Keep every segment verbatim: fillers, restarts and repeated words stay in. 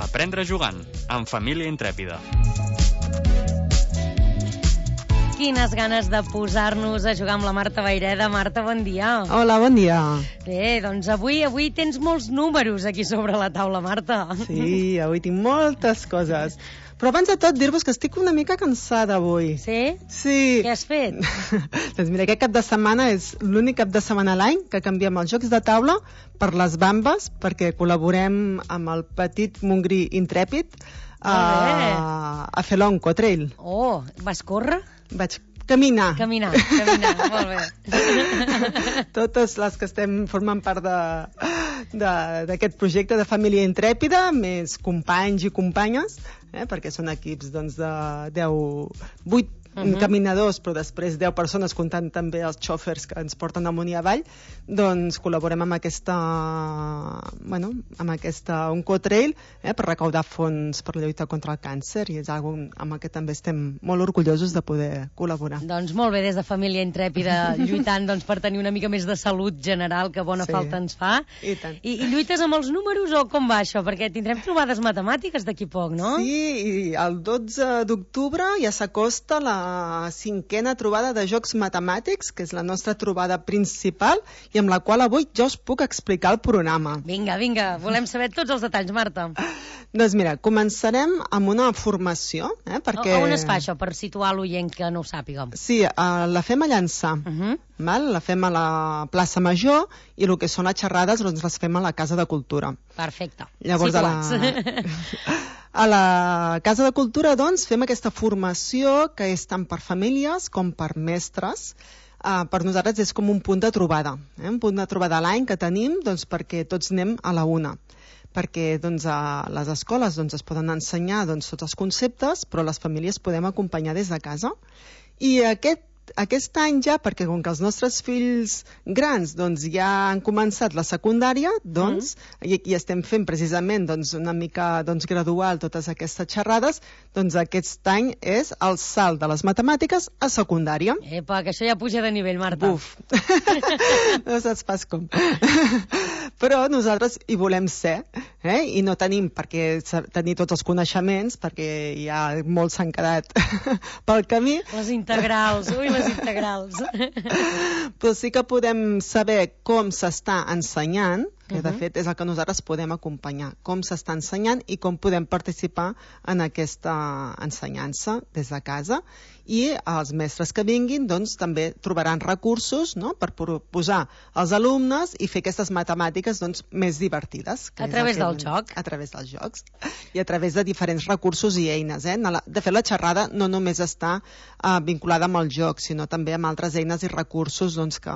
Aprendre jugant, amb Família Intrèpida. Quines ganes de posar-nos a jugar amb la Marta Vayreda. Marta, bon dia. Hola, bon dia. Bé, doncs avui avui tens molts números aquí sobre la taula, Marta. Sí, avui tinc moltes coses. Però abans de tot, dir-vos que estic una mica cansada avui. Sí? Sí. Què has fet? Doncs mira, aquest cap de setmana és l'únic cap de setmana a l'any que canviem els jocs de taula per les bambes, perquè col·laborem amb el petit Montgrí Intrèpid a, a fer l'Oncotrail. Oh, vas córrer? Vaig caminar. Caminar, caminar, molt bé. Totes les que estem formant part d'aquest projecte de Família Intrèpida, més companys i companyes, eh, perquè són equips doncs, de deu, vuit uh-huh. caminadors, però després deu persones, comptant també els xòfers que ens porten amunt i avall, doncs col·laborem amb aquesta, bueno, amb aquesta Oncotrail, eh, per recaudar fons per la lluita contra el càncer, i és algo amb què també estem molt orgullosos de poder col·laborar. Doncs molt bé, des de Família Intrèpida, lluitant doncs, per tenir una mica més de salut general, que bona sí. falta ens fa. I tant. I, I lluites amb els números o com va això? Perquè tindrem trobades matemàtiques d'aquí poc, no? Sí, i el dotze d'octubre ja s'acosta la cinquena trobada de jocs matemàtics, que és la nostra trobada principal, i amb la qual avui jo us puc explicar el programa. Vinga, vinga, volem saber tots els detalls, Marta. Doncs mira, començarem amb una formació, eh, perquè... On es fa això, per situar l'oient que no ho sàpiga? Sí, uh, la fem a Llançà, uh-huh. val? La fem a la plaça Major, i el que són les xerrades doncs les fem a la Casa de Cultura. Perfecte. Llavors, situats. A la... A la Casa de Cultura, doncs, fem aquesta formació que és tant per famílies com per mestres. Uh, per nosaltres és com un punt de trobada, eh? Un punt de trobada a l'any que tenim doncs, perquè tots anem a la una. Perquè doncs, a les escoles doncs, es poden ensenyar doncs, tots els conceptes, però les famílies podem acompanyar des de casa. I aquest Aquest any ja, perquè com que els nostres fills grans doncs, ja han començat la secundària, doncs, mm. i, i estem fent precisament doncs, una mica doncs, gradual totes aquestes xerrades, doncs aquest any és el salt de les matemàtiques a secundària. Epa, que això ja puja de nivell, Marta. Buf! No saps pas com. Però nosaltres hi volem ser, eh? I no tenim per què tenir tots els coneixements, perquè ja molts s'han quedat pel camí. Les integrals, ui, les integrals. Però sí que podem saber com s'està ensenyant, que de fet és el que nosaltres podem acompanyar, com s'està ensenyant i com podem participar en aquesta ensenyança des de casa, i els mestres que vinguin doncs també trobaran recursos, no?, per posar als alumnes i fer aquestes matemàtiques doncs més divertides. A través del joc. A través dels jocs i a través de diferents recursos i eines. Eh? De fet, la xerrada no només està uh, vinculada amb el joc, sinó també amb altres eines i recursos doncs, que,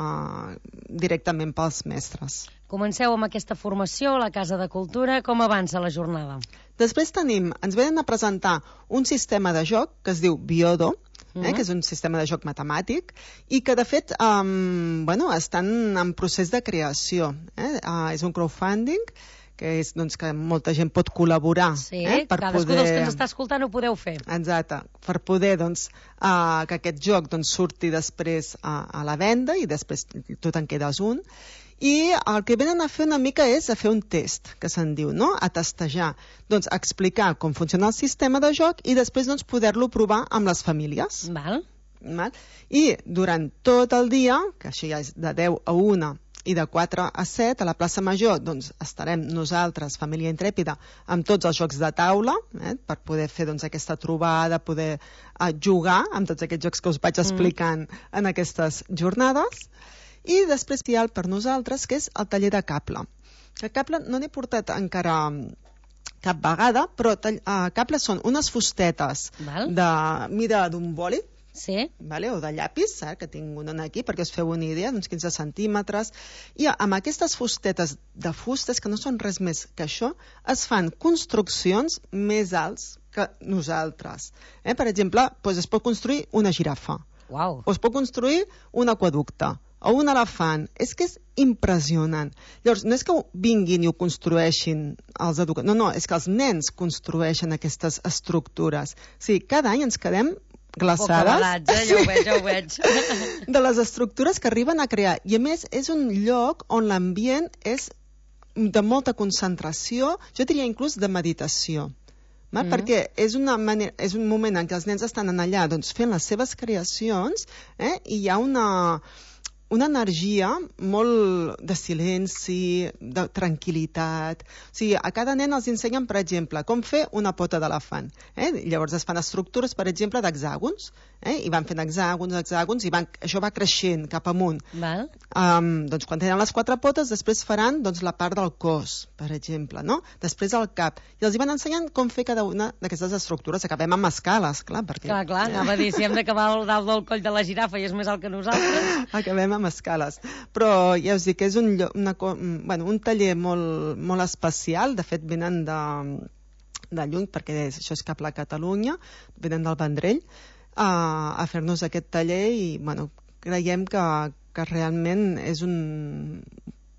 directament pels mestres. Comenceu amb aquesta formació a la Casa de Cultura. Com avança la jornada? Després tenim, ens venen a presentar un sistema de joc que es diu Biodo, eh, mm. que és un sistema de joc matemàtic, i que de fet um, bueno, estan en procés de creació. Eh? Uh, és un crowdfunding, que és doncs, que molta gent pot col·laborar. Sí, eh, per cadascú poder... dels que ens està escoltant ho podeu fer. Exacte, per poder doncs, uh, que aquest joc doncs, surti després uh, a la venda, i després tu te'n quedes un. I el que venen a fer una mica és a fer un test, que se'n diu, no? A testejar, doncs a explicar com funciona el sistema de joc i després doncs, poder-lo provar amb les famílies. Val. Val? I durant tot el dia, que això ja és de deu a una i de quatre a set, a la plaça Major doncs, estarem nosaltres, Família Intrèpida, amb tots els jocs de taula, eh, per poder fer doncs, aquesta trobada, poder eh, jugar amb tots aquests jocs que us vaig explicant mm. en aquestes jornades. I després hi ha per nosaltres, que és el taller de cable. El cable no n'he portat encara cap vegada, però uh, cable són unes fustetes Val. de mida d'un boli, sí. vale? O de llapis, eh? Que tinc una aquí perquè us feu una idea, d'uns quinze centímetres, i amb aquestes fustetes de fustes, que no són res més que això, es fan construccions més alts que nosaltres. Eh? Per exemple, doncs es pot construir una girafa, wow. o es pot construir un aqüeducte, o un elefant. És que és impressionant. Llavors, no és que vinguin i ho construeixin els educadors, no, no, és que els nens construeixen aquestes estructures. O sigui, cada any ens quedem glaçades, eh? Ja ho veig, ja ho veig. de les estructures que arriben a crear. I a més, és un lloc on l'ambient és de molta concentració, jo diria inclús de meditació. Va? Mm. Perquè és, una manera, és un moment en què els nens estan allà doncs, fent les seves creacions, eh? I hi ha una, una energia molt de silenci, de tranquil·litat. O sigui, a cada nen els ensenyen, per exemple, com fer una pota d'elefant. Eh? Llavors es fan estructures, per exemple, d'hexàgons. Eh? I van fent hexàgons, hexàgons, i van, això va creixent cap amunt. Val. Um, doncs quan tenen les quatre potes, després faran doncs, la part del cos, per exemple, no? Després el cap. I els hi van ensenyant com fer cada una d'aquestes estructures. Acabem amb escales, clar, perquè... Clar, clar, anava a dir, si hem d'acabar al dalt del coll de la girafa i és més alt que nosaltres... Acabem amb escales. Però ja us dic que és un, una, bueno, un taller molt, molt especial. De fet, venen de, de lluny, perquè és, això és cap a Catalunya, venen del Vendrell, a, a fer-nos aquest taller i bueno, creiem que, que realment és un,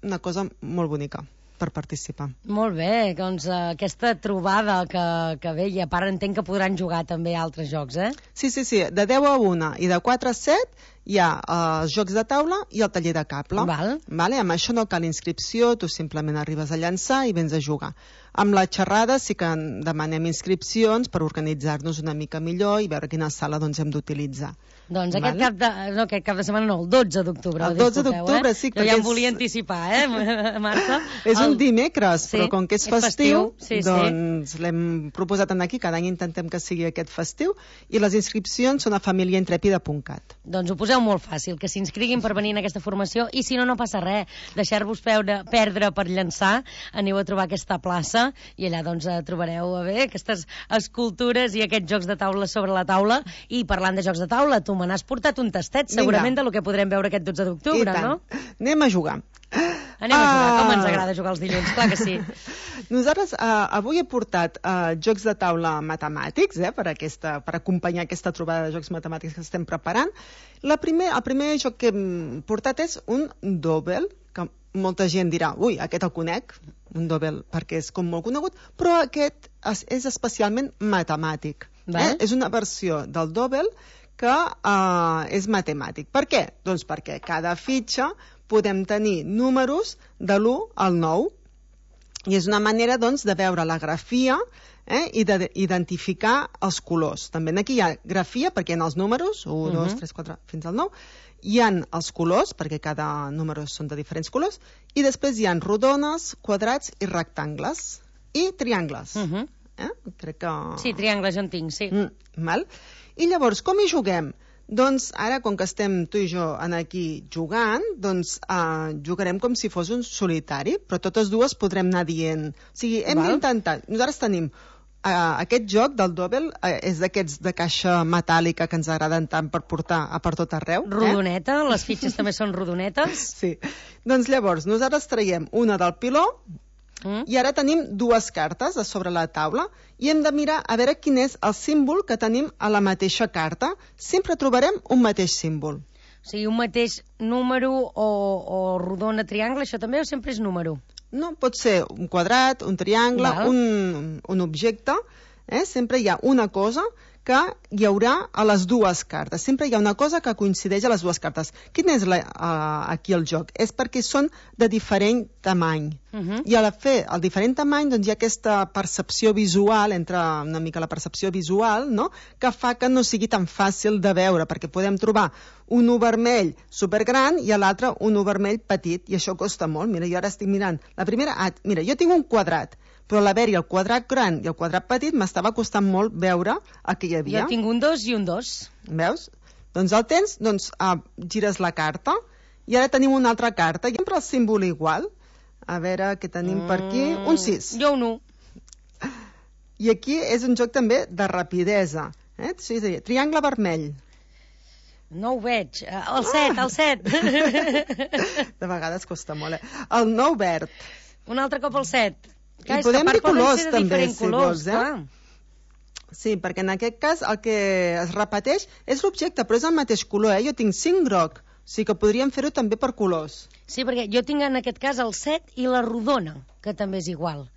una cosa molt bonica per participar. Molt bé, doncs uh, aquesta trobada que, que ve, i a part entenc que podran jugar també altres jocs, eh? Sí, sí, sí, de deu a una i de quatre a set hi ha els uh, jocs de taula i el taller de cable. Val. Vale? Amb això no cal inscripció, tu simplement arribes a llançar i vens a jugar. Amb la xerrada sí que demanem inscripcions per organitzar-nos una mica millor i veure quina sala doncs, hem d'utilitzar. Doncs aquest, vale? cap de, no, aquest cap de setmana no, el dotze d'octubre. El dotze d'octubre, eh? Sí. Jo ja em volia és... anticipar, eh, Marta? És el... un dimecres, sí, però com que és, és festiu, festiu sí, doncs sí. L'hem proposat aquí, cada any intentem que sigui aquest festiu, i les inscripcions són a família intrèpida punt cat. Doncs ho poseu molt fàcil, que s'inscriguin per venir en aquesta formació, i si no, no passa res, deixar-vos perdre per llançar, aneu a trobar aquesta plaça, i allà doncs trobareu a bé aquestes escultures i aquests jocs de taula sobre la taula. I parlant de jocs de taula, tu me n'has portat un tastet, segurament, de lo que podrem veure aquest dotze d'octubre, no? Anem a jugar. Anem a jugar, com ens agrada jugar els dilluns, clar que sí. Nosaltres uh, avui he portat uh, jocs de taula matemàtics, eh, per, aquesta, per acompanyar aquesta trobada de jocs matemàtics que estem preparant. La primer, el primer joc que hem portat és un Dobel, que molta gent dirà, ui, aquest el conec, un Dobel, perquè és com molt conegut, però aquest és, és especialment matemàtic. Eh? És una versió del Dobel que uh, és matemàtic. Per què? Doncs perquè cada fitxa podem tenir números de l'u al nou, i és una manera doncs, de veure la grafia eh, i d'identificar els colors. També aquí hi ha grafia perquè hi ha els números, u, uh-huh. dos, tres, quatre, fins al nou, hi ha els colors, perquè cada número són de diferents colors, i després hi ha rodones, quadrats i rectangles, i triangles. Uh-huh. eh? Crec que... Sí, triangles jo en tinc, sí. Mm, val? I llavors, com hi juguem? Doncs ara, com que estem tu i jo aquí jugant, doncs uh, jugarem com si fos un solitari, però totes dues podrem anar dient. O sigui, hem d'intentar... Nosaltres tenim uh, aquest joc del Dobel, uh, és d'aquests de caixa metàl·lica que ens agraden tant per portar a per tot arreu. Rodoneta, eh? Les fitxes també són rodonetes. Sí. Doncs llavors, nosaltres traiem una del piló, Mm. i ara tenim dues cartes a sobre la taula i hem de mirar a veure quin és el símbol que tenim a la mateixa carta. Sempre trobarem un mateix símbol. O sigui, un mateix número o, o rodona, triangle, això també o sempre és número? No, pot ser un quadrat, un triangle, un, un objecte. Eh? Sempre hi ha una cosa que hi haurà a les dues cartes. Sempre hi ha una cosa que coincideix a les dues cartes. Quin és la, uh, aquí el joc? És perquè són de diferent tamany. Uh-huh. I a la fer el diferent tamany doncs, hi ha aquesta percepció visual, entre una mica la percepció visual, no? Que fa que no sigui tan fàcil de veure, perquè podem trobar un u vermell supergran i a l'altre un u vermell petit, i això costa molt. Mira, jo ara estic mirant. La primera, ah, mira, jo tinc un quadrat, però a l'haver-hi el quadrat gran i el quadrat petit m'estava costant molt veure el que hi havia. Jo tinc un dos i un dos. Veus? Doncs el tens, doncs ah, gires la carta i ara tenim una altra carta i sempre el símbol igual. A veure què tenim mm, per aquí. Un sis. Jo un u. I aquí és un joc també de rapidesa. Eh? Sí, sí, triangle vermell. No ho veig. El set, el set. De vegades costa molt, eh? El nou verd. Un altre cop el set. Clar, I podem dir colors, també, si colors, vols, eh? Sí, perquè en aquest cas el que es repeteix és l'objecte, però és el mateix color, eh? Jo tinc cinc groc, o sigui que podríem fer-ho també per colors. Sí, perquè jo tinc en aquest cas el set i la rodona, que també és igual.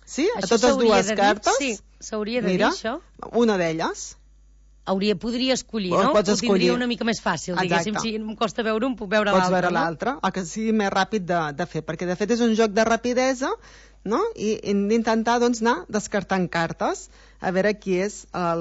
Sí? A totes dues cartes? Sí, s'hauria de dir això. Una d'elles. hauria, podria escollir, Ho no? pots Ho tindria escollir. una mica més fàcil, Exacte. diguéssim. Si em costa veure un, puc veure Pots l'altre, veure no? l'altre, el que sigui més ràpid de, de fer, perquè de fet és un joc de rapidesa, no? I hem d'intentar doncs, anar descartant cartes, a veure qui és el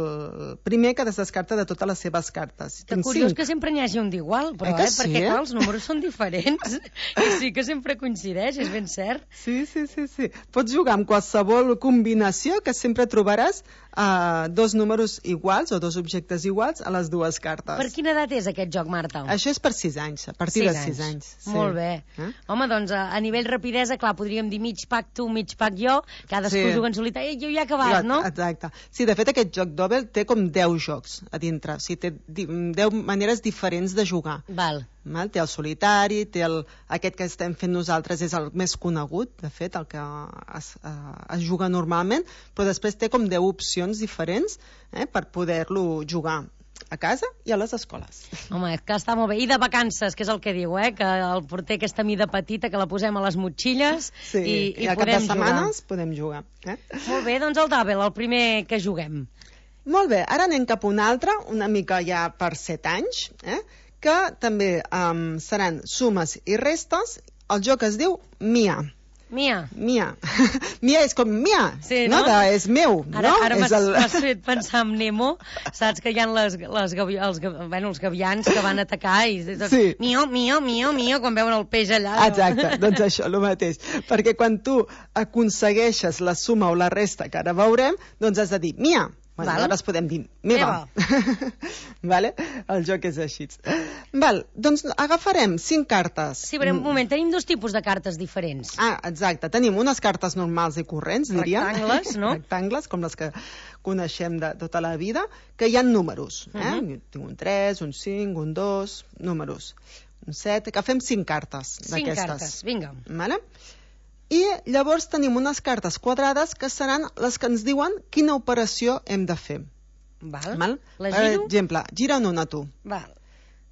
primer que descarta de totes les seves cartes. Que Tinc curiós cinc. que sempre n'hi hagi un d'igual, però, Eh que eh? sí, Perquè, eh? clar, els números són diferents i sí que sempre coincideix, és ben cert. Sí, sí, sí, sí. Pots jugar amb qualsevol combinació que sempre trobaràs uh, dos números iguals o dos objectes iguals a les dues cartes. Per quina edat és aquest joc, Marta? Això és per sis anys, a partir de sis anys. Sí. Molt bé. Eh? Home, doncs a, a nivell rapidesa, clar, podríem dir mig pack tu, mig pack jo, cadascú Sí. juga en solitari, jo ja he acabat, no? Exacte. Sí, de fet aquest joc Dobel té com deu jocs a dintre, o sigui, té di- deu maneres diferents de jugar. Val. Val? Té el solitari, té el, aquest que estem fent nosaltres és el més conegut, de fet, el que es, eh, es juga normalment, però després té com deu opcions diferents eh, per poder-lo jugar a casa i a les escoles. Home, és que està molt bé. I de vacances, que és el que diu, eh? Que el porter aquesta mida petita que la posem a les motxilles Sí, i, i, i al cap podem de setmanes podem jugar. Eh? jugar. Molt bé, doncs el Double, el primer que juguem. Molt bé, ara anem cap a un altre, una mica ja per set anys, eh? que també um, seran sumes i restes. El joc es diu Mia. Mia. Mia. Mia és com Mia, Sí, no? no? De, és meu, Ara, no? ara És m'has el- m'has fet pensar en Nemo, saps que hi ha les, les, gavi, els, ga- bueno, els gavians que van atacar i tot, Sí. mio, mio, mio, mio, quan veuen el peix allà. no? Exacte, doncs això, el mateix. Perquè quan tu aconsegueixes la suma o la resta, que ara veurem, doncs has de dir Mia. Bueno, Val. aleshores podem dir meva. Vale? El joc és així. Val, doncs agafarem cinc cartes. Sí, però un moment, tenim dos tipus de cartes diferents. Ah, exacte. Tenim unes cartes normals i corrents, diríem. Rectangles, no? Rectangles, com les que coneixem de tota la vida, que hi ha números. Eh? Uh -huh. Tinc un tres, un cinc, un dos, números. Un set, que fem cinc cartes Cinc d'aquestes. cartes, vinga. Vale? I llavors tenim unes cartes quadrades que seran les que ens diuen quina operació hem de fer. Val. Val? La Per giro? exemple, gira'n una tu. Val.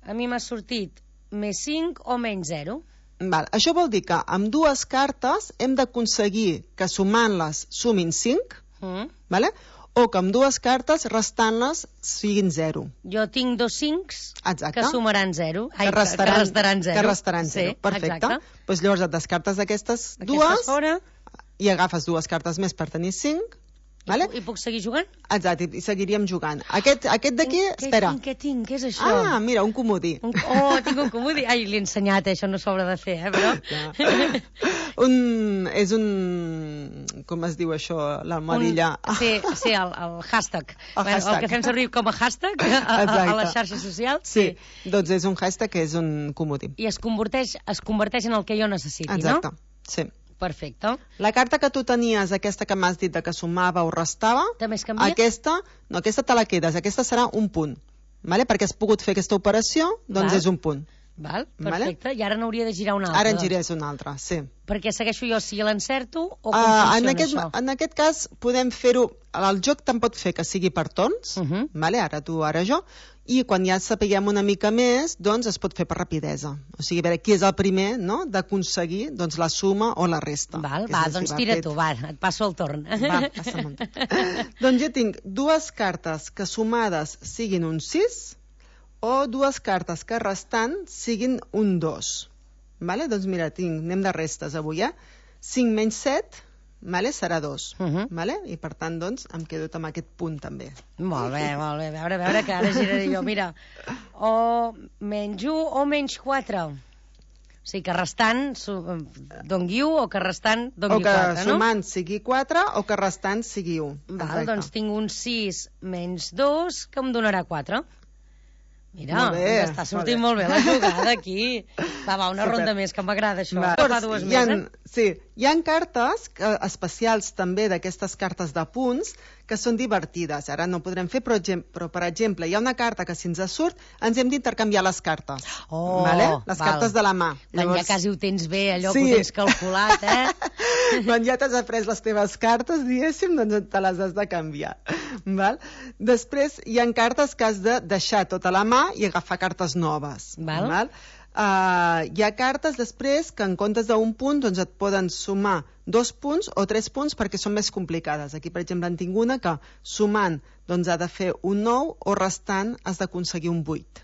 A mi m'ha sortit més cinc o menys zero. Val. Això vol dir que amb dues cartes hem d'aconseguir que sumant-les sumin cinc, Mm. vale? O que amb dues cartes restant-les siguin zero. Jo tinc dos cincs Exacte. que sumaran zero. Ai, que restaran, que restaran zero. Que restaran zero. Sí, Perfecte. exacte. Pues llavors et descartes d'aquestes Aquestes dues fora. i agafes dues cartes més per tenir cinc. Vale? I, puc, I puc seguir jugant? Exacte, i seguiríem jugant. Aquest, aquest d'aquí, Què- espera. Què tinc? Què és això? Ah, mira, un comodí. Un, oh, tinc un comodí. Ai, l'he ensenyat, eh? Això no s'haurà de fer, eh? Però... Ja. un, és un... Com es diu això? L'almohadilla. Un, sí, sí, el, el hashtag. El bueno, hashtag. el que fem servir com a hashtag a, a, a les xarxes socials. Sí. sí, doncs és un hashtag que és un comodí. I es converteix, es converteix en el que jo necessiti, Exacte, no? sí. Perfecte. La carta que tu tenies, aquesta que m'has dit de que sumava o restava, També es canvia? aquesta, no, aquesta te la quedes, aquesta serà un punt, vale? Perquè has pogut fer aquesta operació, doncs Val. és un punt. Val, Vale? perfecte. I ara n'hauria de girar una altra. Ara en doncs. girés una altra, sí. Perquè segueixo jo si l'encerto o com Uh, funciona en, aquest, això? en aquest cas podem fer-ho, el joc te'n pot fer que sigui per torns, Uh -huh. vale? Ara tu, ara jo, i quan ja sapiguem una mica més, doncs es pot fer per rapidesa. O sigui, a veure qui és el primer, no?, d'aconseguir doncs, la suma o la resta. Val, Que va, és doncs així, tira fet. tu, va, et passo el torn. Va, passa'm tu. Doncs jo tinc dues cartes que sumades siguin un sis o dues cartes que restant siguin un dos. Vale? Doncs mira, tinc, anem de restes avui, eh? cinc menys set, vale? Serà dos. Uh -huh. Vale? I per tant, doncs, em quedo amb aquest punt també. Molt bé, molt bé. A veure, a veure, que ara giraré jo. Mira, o menys u o menys quatre. O sigui, que restant su- dongui u o que restant O dongui que quatre, no? sumant sigui quatre o que restant sigui un. Val, doncs tinc un sis menys dos que em donarà quatre. Mira, Molt bé, ens està sortint molt molt bé. bé la jugada aquí. Va, va, una Super. ronda més, que m'agrada això. Va. Fa dues hi ha, més, eh? Sí, hi ha cartes que, especials també d'aquestes cartes de punts que són divertides. Ara no podrem fer, però, gem- però per exemple, hi ha una carta que si ens surt ens hem d'intercanviar les cartes. Oh, vale? Les val. cartes de la mà. Quan ja quasi ho tens bé, allò Sí. que ho tens calculat, eh? Quan ja t'has après les teves cartes, diguéssim, doncs te les has de canviar. Val? Després hi ha cartes que has de deixar tota la mà i agafar cartes noves. Val. Val? Uh, hi ha cartes després que en comptes d'un punt doncs et poden sumar dos punts o tres punts perquè són més complicades. Aquí, per exemple, en tinc una que sumant doncs, ha de fer un nou o restant has d'aconseguir un vuit.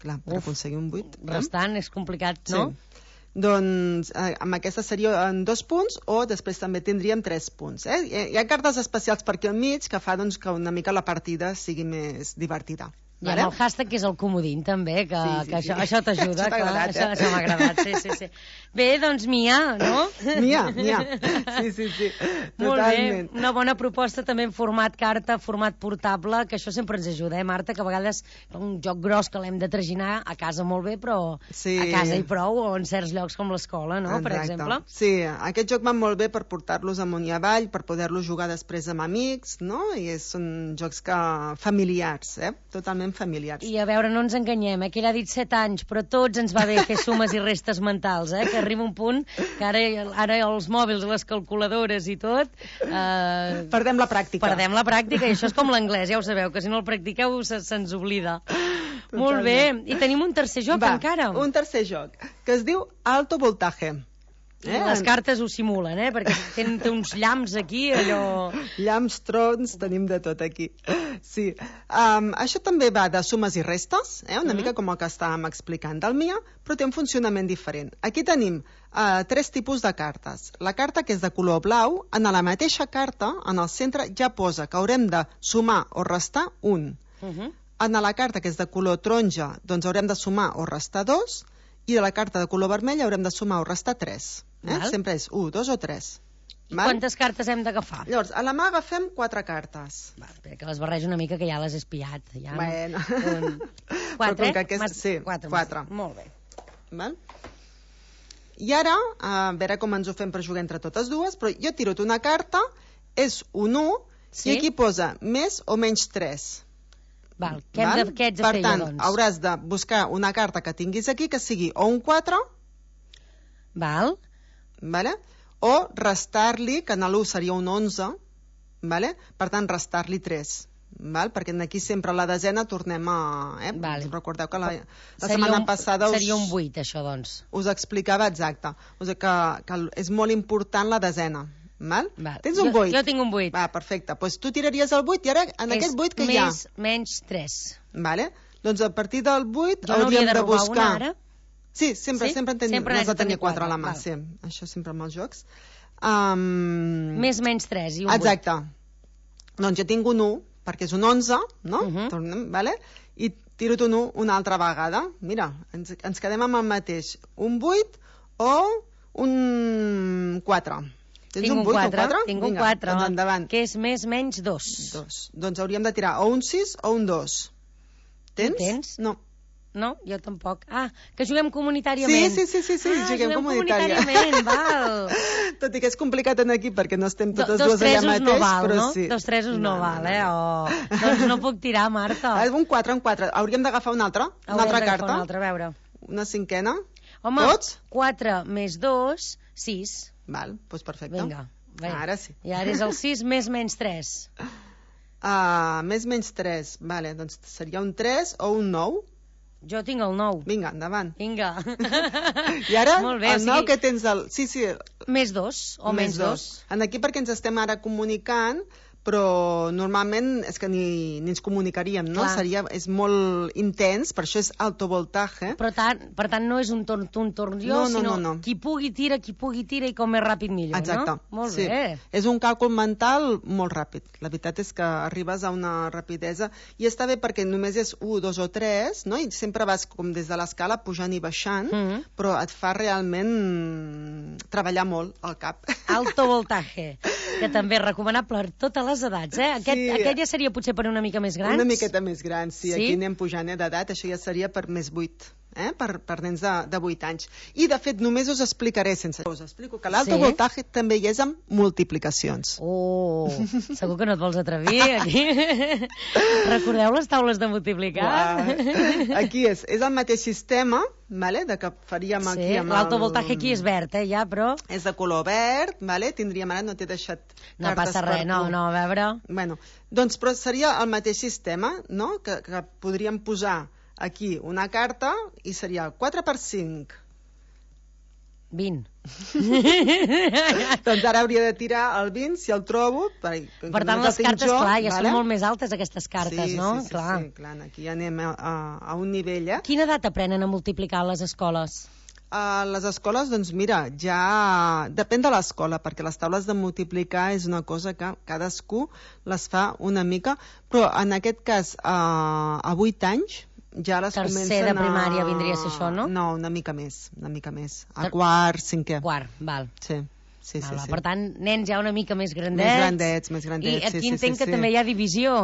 Clar, per Uf, aconseguir un vuit... Restant és complicat, no? Sí. Doncs eh, amb aquesta seria en dos punts o després també tindríem tres punts. Eh? Hi ha cartes especials per aquí al mig que fa doncs, que una mica la partida sigui més divertida. I amb el hashtag, que és el comodín, també, que, sí, sí, que això, sí. això t'ajuda. Això t'ha agradat, això, eh? això m'ha agradat, sí, sí, sí. Bé, doncs, Mia, no? Mia, Mia. Sí, sí, sí. Molt Totalment. bé. Una bona proposta també en format carta, format portable, que això sempre ens ajuda, eh, Marta? Que a vegades un joc gros que l'hem de traginar a casa molt bé, però Sí. a casa i prou, o en certs llocs com l'escola, no? Per Exacte. exemple. Sí, aquest joc va molt bé per portar-los amunt i avall, per poder-los jugar després amb amics, no? I és, són jocs que familiars, eh? Totalment familiars. I a veure, no ens enganyem, eh? Que ell ha dit set anys, però tots ens va bé fer sumes i restes mentals, eh? Que arriba un punt que ara, ara els mòbils, les calculadores i tot... Eh, Perdem la pràctica. Perdem la pràctica, i això és com l'anglès, ja ho sabeu, que si no el practiqueu se, se'ns oblida. Totalment. Molt bé, i tenim un tercer joc Va, encara. un tercer joc, que es diu Alto Voltaje. Eh? Les cartes ho simulen, eh? Perquè tenen té uns llamps aquí, allò... Llamps, trons, tenim de tot aquí. Sí. Um, això també va de sumes i restes, eh? Una mm. mica com el que estàvem explicant del Mia, però té un funcionament diferent. Aquí tenim uh, tres tipus de cartes. La carta que és de color blau, en la mateixa carta, en el centre, ja posa que haurem de sumar o restar un. Uh -huh. En la carta que és de color taronja, doncs haurem de sumar o restar dos, i de la carta de color vermell haurem de sumar o restar tres. Eh? Sempre és un, dos o tres. I quantes cartes hem d'agafar? Llavors, a la mà agafem quatre cartes. Va, espera, que les barrejo una mica, que ja les he espiat. Ja. Bueno. Un... Però Quatre, com que aquest... Mas... Sí, quatre. quatre. Molt bé. Val? I ara, a veure com ens ho fem per jugar entre totes dues, però jo tiro una carta, és un u, sí? I aquí posa més o menys tres. Val, què, hem de, què ets de per fer, tant, jo, doncs? hauràs de buscar una carta que tinguis aquí que sigui o un quatre, Val. Vale? O restar-li, que en l'u seria un onze, vale? Per tant, restar-li tres. Val? Perquè aquí sempre a la desena tornem a... Eh? Vale. Recordeu que la, la seria setmana un, passada us, seria un vuit, això, doncs. us explicava exacte. O sigui que, que és molt important la desena. Val? Val. Tens un jo, vuit? Jo tinc un vuit. Va, perfecte. Pues tu tiraries el vuit i ara en és aquest vuit que més, hi ha... menys tres. Vale? Doncs a partir del vuit jo no hauríem de, de buscar... Una, ara? Sí, sempre, sí? sempre en tenim, sempre n'has de tenir quatre a la mà, val. sí. Això sempre amb els jocs. Um... Més menys tres i un Exacte. vuit. Doncs jo tinc un u, perquè és un onze, no? Uh -huh. Tornem, vale? I tiro un u una altra vegada. Mira, ens, ens quedem amb el mateix. Un vuit o un quatre. Tens tinc un un vuit, quatre, un quatre? tinc un Vinga, quatre, doncs endavant. que és més menys dos. Dos. Doncs hauríem de tirar o un sis o un dos. Tens? tens? No. No, jo tampoc. Ah, que juguem comunitàriament. Sí, sí, sí, sí, sí. Ah, juguem, juguem comunitària. comunitàriament, val. Tot i que és complicat en aquí perquè no estem totes Do, dos dues allà tresos mateix, no val, però no? sí. Dos tresos no, No, val, no, eh? Oh, doncs no puc tirar, Marta. Ah, un quatre, un quatre. Hauríem d'agafar una altra, una Haurem altra d'agafar carta. Una altra, a veure. Una cinquena. Home, Tots? quatre més dos, sis. Val, doncs perfecte. Vinga. Bé. Ara sí. I ara és el sis més menys tres. Uh, més menys tres. Vale, doncs seria un tres o un nou. Jo tinc el nou. Vinga, endavant. Vinga. I ara, Molt bé, el o sigui, nou que tens... El... Sí, sí. Més dos o menys dos. En aquí perquè ens estem ara comunicant, però normalment és que ni, ni ens comunicaríem, no? Clar. Seria, és molt intens, per això és alto voltaje. Però tant, per tant no és un torn tu, un torn jo, No, no, sinó no, no. qui pugui tira, qui pugui tira i com més ràpid millor, Exacte. no? Molt sí. bé. És un càlcul mental molt ràpid. La veritat és que arribes a una rapidesa i està bé perquè només és un, dos o tres, no? I sempre vas com des de l'escala pujant i baixant, Mm -hmm. però et fa realment treballar molt al cap. Alto voltaje, que també és recomanable per totes les edats, eh? Aquest, Sí. aquest ja seria potser per una mica més grans? Una miqueta més gran, sí. Sí? Aquí anem pujant eh, d'edat, això ja seria per més vuit. Eh? Per, per nens de, de vuit anys. I, de fet, només us explicaré sense... Us explico que l'alto Sí? voltaje també hi és amb multiplicacions. Oh, segur que no et vols atrevir, aquí. Recordeu les taules de multiplicar? Uah. Aquí és, és el mateix sistema, vale? De que faríem Sí, aquí amb l'alto el... voltaje aquí és verd, eh, ja, però... És de color verd, vale? Tindríem ara, no t'he deixat No cartes passa per res, no, tu. no, a veure... Bueno, doncs però seria el mateix sistema, no? Que, que podríem posar aquí una carta i seria quatre per cinc. vint. Doncs ara hauria de tirar el vint, si el trobo. Per, per tant, les cartes, jo, clar, ja vale? Són molt més altes, aquestes cartes, sí, no? Sí, sí, clar. sí, clar, aquí anem a, a, a un nivell, eh? Quina edat aprenen a multiplicar a les escoles? A les escoles, doncs mira, ja depèn de l'escola, perquè les taules de multiplicar és una cosa que cadascú les fa una mica, però en aquest cas, a, a vuit anys, ja les Tercer comencen de primària a... vindria a ser això, no? No, una mica més, una mica més. A quart, cinquè. Quart, val. Sí. Sí, val, sí, val. sí. Per tant, nens ja una mica més grandets. Més grandets, més grandets. I aquí sí, entenc sí, sí, que també hi ha divisió.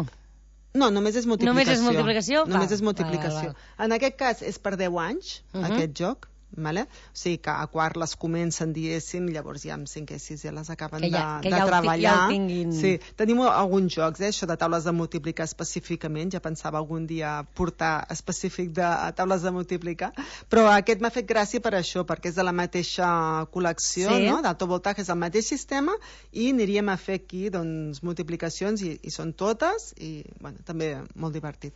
No, només és multiplicació. Només és multiplicació? Només val. és multiplicació. Val, val. En aquest cas és per deu anys, uh -huh. aquest joc. Vale? O sigui que a quart les comencen, diguéssim, llavors ja amb cinquè i sisè les acaben que ja, de, que de ja treballar. Ja el tinguin. Sí, tenim alguns jocs, eh, això de taules de multiplicar específicament, ja pensava algun dia portar específic de taules de multiplicar, però aquest m'ha fet gràcia per això, perquè és de la mateixa col·lecció, sí. no? D'alto voltatge, és el mateix sistema, i aniríem a fer aquí doncs, multiplicacions, i, i són totes, i bueno, també molt divertit.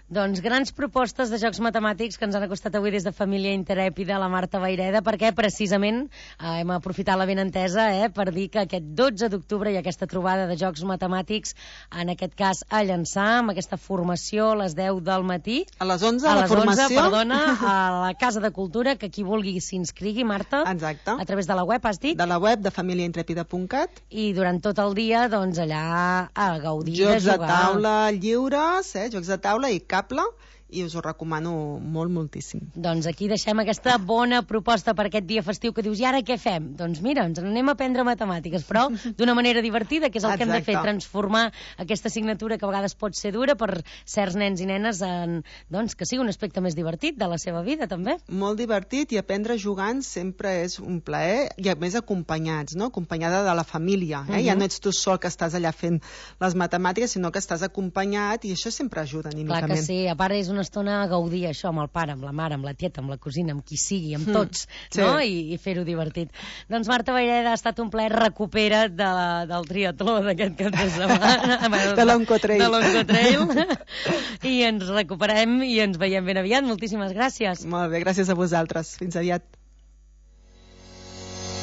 Doncs grans propostes de jocs matemàtics que ens han acostat avui des de Família Intrèpida, la Marta Vayreda, perquè precisament eh, hem aprofitat la benentesa eh, per dir que aquest dotze d'octubre hi ha aquesta trobada de jocs matemàtics, en aquest cas a Llançà, amb aquesta formació a les deu del matí. A les onze, a la les formació. onze, perdona, a la Casa de Cultura, que qui vulgui s'inscrigui, Marta. Exacte. A través de la web, has dit? De la web de família intrèpida punt cat. I durant tot el dia, doncs, allà a gaudir jocs de jugar. Jocs de taula lliures, eh, jocs de taula i cable, i us ho recomano molt, moltíssim. Doncs aquí deixem aquesta bona proposta per aquest dia festiu que dius, i ara què fem? Doncs mira, ens anem a aprendre matemàtiques, però d'una manera divertida, que és el Exacte. que hem de fer, transformar aquesta assignatura que a vegades pot ser dura per certs nens i nenes en, doncs, que sigui un aspecte més divertit de la seva vida, també. Molt divertit, i aprendre jugant sempre és un plaer, i a més acompanyats, no? Acompanyada de la família, eh? Uh-huh. Ja no ets tu sol que estàs allà fent les matemàtiques, sinó que estàs acompanyat, i això sempre ajuda anímicament. Clar que sí, a part és una estona a gaudir això amb el pare, amb la mare, amb la tieta, amb la cosina, amb qui sigui, amb tots, mm, sí. no? I, i fer-ho divertit. Doncs Marta Vayreda, ha estat un plaer, recupera't de la, del triatló d'aquest cap de setmana. de l'Oncotrail. De l'Oncotrail. I ens recuperem i ens veiem ben aviat. Moltíssimes gràcies. Molt bé, gràcies a vosaltres. Fins aviat.